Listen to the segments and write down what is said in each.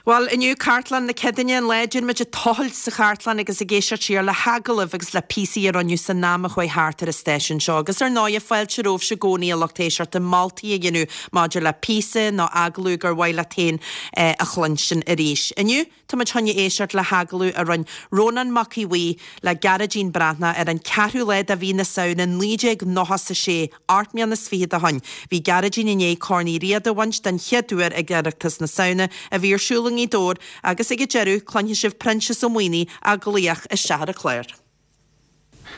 Bhuel, inniu Cartlann na Céadaoine, an lá a dtéann muid ag tochailt sa chartlann agus ag éisteacht siar le hagallaimh agus le píosaí a rinneadh san am a chuaigh thart ar an stáisiún seo. Agus ar ndóighe, fáilte romhaibhse i gcónaí, a lucht éisteachta, moltaí a dhéanamh maidir le píosa nó agallamh gur mhaith leat féin a chluinstin arís. Inniu, Tá muid chun éisteacht le hagallamh a rinne Rónán Mac Aodha Bhuí le Gearóidín Breathnach ar an 4ú lá de mhí na Samhna 1996, 8 mbliana is fichead ó shoin. Bhí Gearóidín i ndiaidh Corn Uí Riada a bhaint den chéad uair ag Oireachtas na Samhna a bhí ar siúl i nGaoth Dobhair agus ag an deireadh cluinfidh sibh Proinsias Ó Maonaigh á ghlaoch isteach ar an chlár.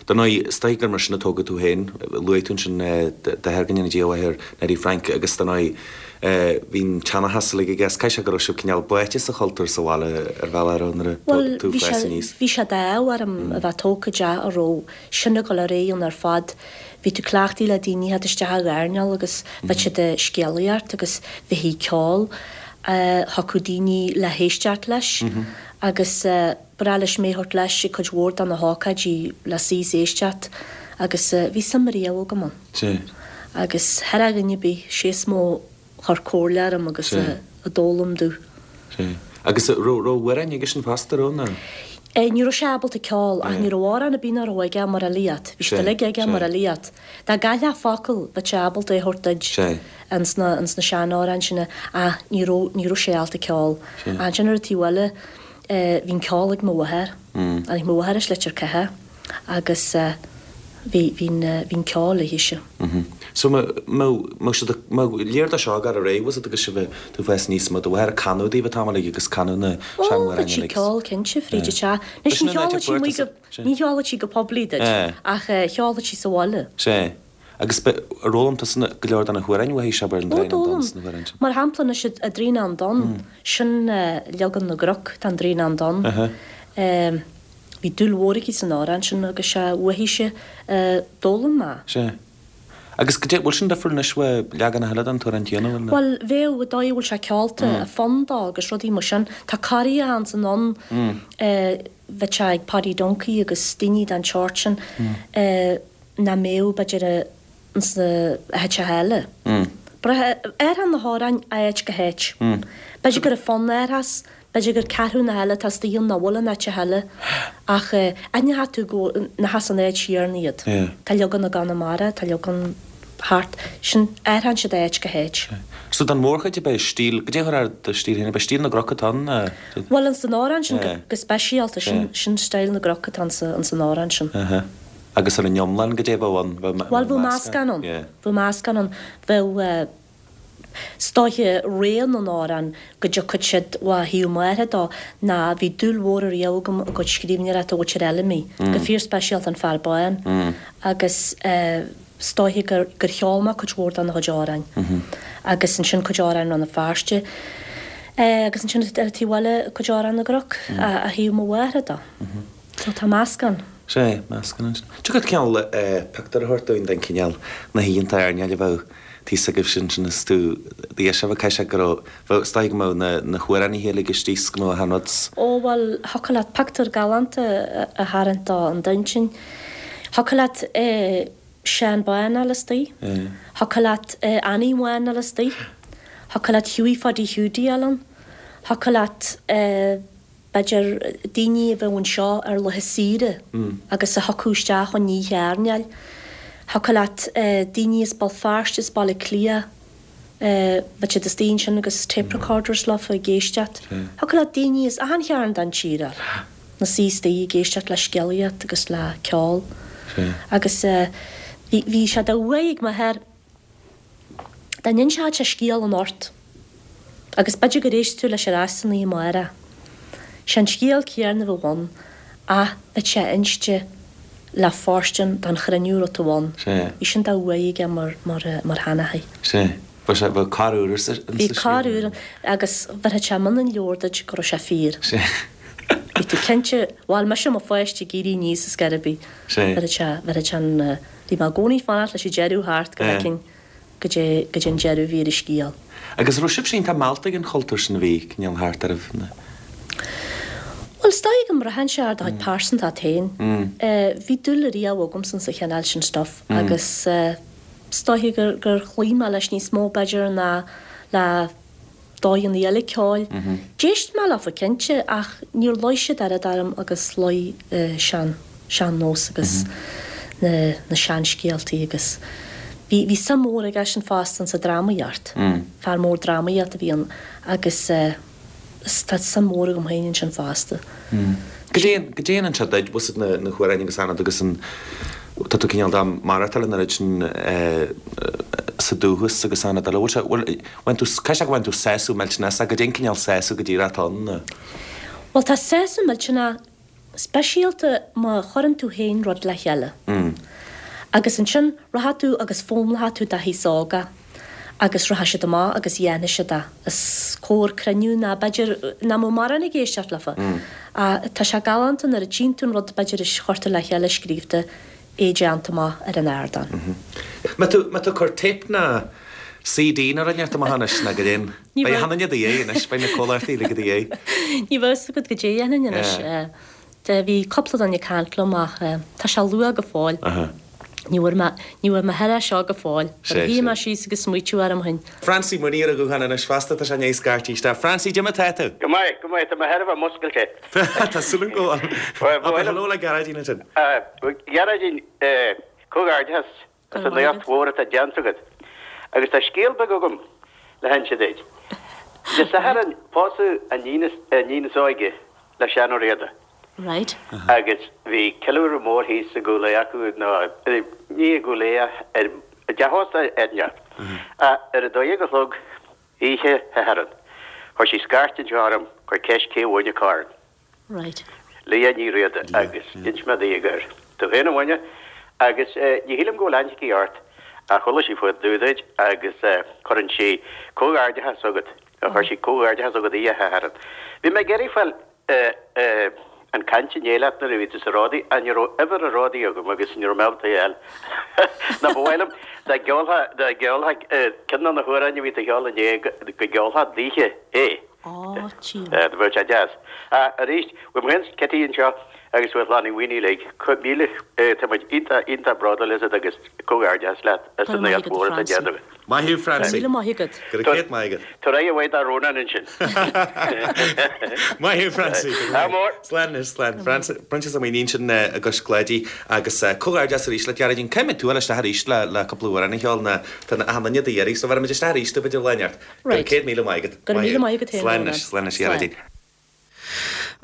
Dar ndóigh, is dóigh gur mar sin a tógadh tú féin. Luaigh tú ansin d'athair, go ndéana Dia a mhaith air, Neidí Frank, agus dar ndóigh, bhí an tseanchas uilig aige is caithfidh sé go raibh sibh cineál báite sa chultúr sa bhaile ar bhealach, a raibh, nuair a Bhuel, tú bhí ag sé, fás aníos. bhí sé d'ádh orm a bheith tógtha i dteach a raibh sin ag dul ar aghaidh ann ar fad. Bhí tú cleachtaithe le daoine a theacht isteach ag airneál agus bheadh siad ag scéalaíocht agus bheifí ag ceol, thiocfadh daoine le héisteacht leis agus, Ba bhreá leis mé a thabhairt leis ag cuid mhór de na hócáidí le suí is éisteacht agus bhí suim ariamh agam ann. Sea. Agus thar a dhuine ar bith, sé is mó a chuir comhairle orm agus a d'fhoghlaim domh. Sea. Agus raibh raibh amhráin aigesean fosta, raibh nó? Ní raibh sé ábalta ceol ach ní raibh amhrán ar bith nach raibh aige mar fhilíocht. Bhí siad uilig aige mar fhilíocht. Dá gcaillfeá focal, bheadh sé ábalta é a thabhairt duit ins na ins na seanamhráin sin ach ní raibh ní raibh sé ábalta ceol. Ansin ar an taobh eile, Bhí an ceol ag mo mháthair. Tháinig mo mháthair as Leitir Catha agus bhí, bhí an, bhí an ceol léithise. So mbeadh siad, mbeadh léir dó seo ag gabháil ar aghaidh, bhfuil a fhios agat agus sibh, tú ag fás aníos, mbeadh do mháthair ag canadh daoibh an t-am uilig agus canadh na Ó, seanamhráin bheadh sí uilig. ag ceol cinnte fríd an teach. Anois Sin ní an áit a cheolfadh sí fuair amuigh tusa, go, ní cheolfadh sí go poiblí duit ach cheolfadh sí sa bhaile. Sea. Agus ar fhoghlaim tusa go leor de na hamhráin uaithi, abair, an Ó, Draein Donn d'fhoghlaim. is na hamhráin sin? Mar shampla anois an Draoineán Donn, sin leagan na gCnoc den Draoineán Donn. Bhí dúil mhór aici san amhrán sin agus sé uaithise a d'fhoghlaim mé. Sea. Agus goidé, bhfuil sin difriúil anois ó leaganacha eile den t-amhrán céanna, bhfuil? Bhuel, bheadh, an dóigh a bhfuil sé ceolta, an fonn dó agus rudaí mar sin. Tá corraithe ansan ann, bheadh sé ag Paddy Duncie agus daoine den tseort sin. nach mbeadh, b'fhéidir, ins na háiteacha eile. Athraíonn na hamhráin ó áit go háit. B'fhéidir gur an fonn a athraíos, b'fhéidir gur ceathrúna eile atá istigh ann nach bhfuil in áiteacha eile, ach aithneoidh tú go nach as an áit chéanna iad. Tá leagan i gConamara, tá leagan thart, sin, athraíonn siad ó áit go háit. So don mhórchuid ab é stíl, goidé a chuirfeá ar do stíl féin, ab é stíl na gCnoc atá ann? Bhuel, ins an amhrán sin go speisialta, sin stíl na gCnoc atá ins an amhrán sin. Agus ar an iomlán, goidé a bheadh ann? Bheadh Bhuel, bheadh meascán ann. Bheadh meascán ann. Bheadh, is dóiche, rogha na n-amhrán go dtiocfadh siad ó thaobh m'athar dó ná bhí dúil mhór ariamh agam i gcuid scríbhneoireachta Mhuintir Fheilimí, go fíorspeisialta An Fear Bán, agus is dóiche gur gur cheol mé cuid mhór dena chuid amhráin. Agus ansin cuid amhráin Rann na Feirste. Agus ansin ar an taobh eile cuid amhrán na gCnoc ó thaobh mo mháthar dó. So tá meascán. Sea, meascán ansin. Tiocfadh cineál pictiúr a thabhairt dúinn den chineál, na hoícheanta airneáil a bheadh thíos agaibhse ansin is tú d'aois a bheadh, caithfidh sé go raibh, bheadh, is dóigh go mbeadh na, na hamhránaithe uilig istigh is go mbeadh achan rud. Ó bhuel, thiocfadh leat pictiúr galánta a tharraingt dó in d'intinn. Thiocfadh leat Seán Bán a fháil istigh. Thiocfadh leat Annie Bhán a fháil istigh. Thiocfadh leat Hughie Phaidí Hiúdaí a fháil ann. Thiocfadh leat. b'fhéidir, daoine a bheadh anseo ar laetha saoire agus a thiocfadh isteach chun oíche airneáil. Thiocfadh leat daoine as Béal Feirste, as Baile Átha Cliath, bheadh siad istigh ansin agus tape recorders leofa ag éisteacht. Thiocfadh leat daoine as achan chearn den tír a fháil 'na suí istigh ag éisteacht le scéalaíocht agus le ceol. Agus bhí sé de uaidh ag m'athair. Dá n-inseodh sé scéal anocht, agus b'fhéidir gur éist tú leis ar ais san oíche amárach, sé an scéal céanna a bheadh ann ach bheadh sé inste le fóirstean don chruinniú a raibh tú ann. Bhí sin de uaidh aige mar, mar, mar sheanchaí. Sea. Bheadh sé, bheadh cor úr insa scéal. Bhí cor úr agus bhéarfadh sé mionn an leabhair duit go raibh sé fíor. Sea. Bhí tú cinnte, bhuel, mise i mo pháiste ag éirí aníos ar scor ar bith. Sea. Bhéarfadh sé, bhéarfadh sé an. Bhí mé i gcónaí ag fanacht leis an deireadh thart go bhfeicfinn goidé goidé an deireadh a bhí ar an scéal. Agus raibh sibhse iontach meallta ag an chultúr sin a bhí cineál thart oraibh na. Bhuel, is dóigh go mbraitheann sé ar do chuid pearsantacht féin. Bhí dúil ariamh agamsa sa chineál sin stuif agus is dóiche gur gur chloígh mé leis níos mó b'fhéidir ná le. dóigheanna eile ceoil. D'éist mé leofa cinnte ach níor luigh siad oiread orm agus luigh sean, sean-nós agus na, na seanscéaltaí agus bhí, bhí suim mhór aigesean fosta insa drámaíocht. Fear mór drámaíochta a bhí ann agus eh tá suim mhór agam féin ansin fosta. Goidé, goidé an seo duit, bhfuil na, na hamhráin agus anad agus an, tá tú cineál dá maireachtáil an oiread sin sa dúchas agus anad eile, bhfuil sé, bhfuil, bhain tú, caithfidh sé go bhfaigheann tú sásamh millteanach as, goidé an cineál sásamh go díreach atá ann nó? Bhuel tá sásamh millteanach Speisialta má chuireann tú féin rud le chéile. Agus ansin rachaidh tú agus foghlaimeoidh tú do aos óga agus rachaidh siad amach agus dhéanfaidh siad é os comhair cruinniú ná b'fhéidir nach mbeadh mórán ag éisteacht leofa. Ach tá sé galánta nuair a tchíonn tú an rud b'fhéidir a chuir tú le chéile scríobhta é déanta amach ar an ardán. Mbeidh tú, mbeidh tú ag cur téip ná CD nó rud inteacht amach anois ná goidé. Beidh achan duine i do dhiaidh anois, beidh na comhlachtaí uilig i do dhiaidh. Ní bheadh fhios agat goidé a dhéanfainn anois. Bhí cúpla duine ag caint liom ach tá sé luath go fóill. Ní bhfuair mé, ní bhfuair mé thar é seo go fóill. Nuair a shuigh mé síos agus smaoitiú orm féin. Francie Mooney ar an ghuthán anois fosta, tá sé i ndiaidh scairteadh isteach. Francie, goidé mar tá tú? Go maith, go maith, tá mé thar a bheith muscailte. Tá súil agam go bhfuil. Abair hello le Gearóidín ansin. Gearóidín, comhghairdeachas as an éacht mhór atá déanta agat. Agus tá scéal beag agam le hinse duit. Dé Sathairn pósadh an iníon is óige le Seán Ó Riada. Right. Agus bhí ceiliúradh mór thíos i gCúil Aodha acu, nó ní i gCúil Aodha, ar i dteach ósta éigineacht. Ach ar a dó dhéag a chlog oíche Shathairn, chuir sí scairt anseo orm, chuir ceist cé a bhain an corn. Right. Leah Ní Riada agus d'inis mé di gur tú féin a bhain é agus ní shílim go bhfuil aithne aici ort ach chuala sí fá dtaobh duit agus cuireann sí comhghairdeachas chugat, chuir sí comhghairdeachas chugat oíche Shathairn. Bhí mé ag iarraidh fáil an caint inné leat nuair a bhí tú sa Ródaí ach ní raibh uimhir an Ródaí agam agus ní raibh mé ábalta é a fháil. Nó ba mhaith liom dá gceolfá dá gceolfá ceann de na hamhráin a bhí tú a cheol inné go gceolfá daoithe é. Á, tchím. Do bheadh sé deas. Ach arís, uaim féin 's Kitty anseo agus uaidh Chlann Uí Mhaonaigh uilig, míle, tá muid iontach, iontach bródúil asat agus comhghairdeachas leat as an éacht mhór atá déanta agat. Maith thú, Francie. Míle maith agat. Go raibh céad maith agat. Tabhair aghaidh mhaith do Rónán ansin. Maith thú, Francie. Ádh mór. Slán anois, slán. Proinsias Ó Maonaigh ansin i gCois Cláidí agus comhghairdeas arís leat, Gearóidín. Caithfidh tú a dhul isteach arís le cúpla amhrán a cheol nó tá achan duine do iarraidh so bheirfimid isteach arís tú b'fhéidir lá inteacht. Go raibh 100,000 maith agat. Go raibh míle maith agat féin, Slán anois, slán anois, a Ghearóidín.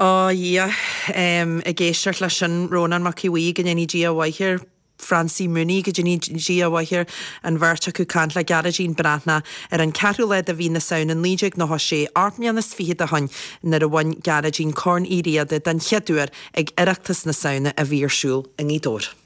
Ó a Dhia, ag éisteacht leis sin, Rónán Mac Aodha Bhuí, go ndéanaí Dia a mhaith air, Francie Mooney, go ndéanaí Dia a mhaith air, an bheirt acu ag caint le Gearóidín Breathnach ar an ceathrú lá de mhí na Samhna 1996, 28 mbliana ó shoin, nuair a bhain Gearóidín Corn Uí Riada den chéad uair ag Oireachtas na Samhna a bhí ar siúl i nGaoth Dobhair.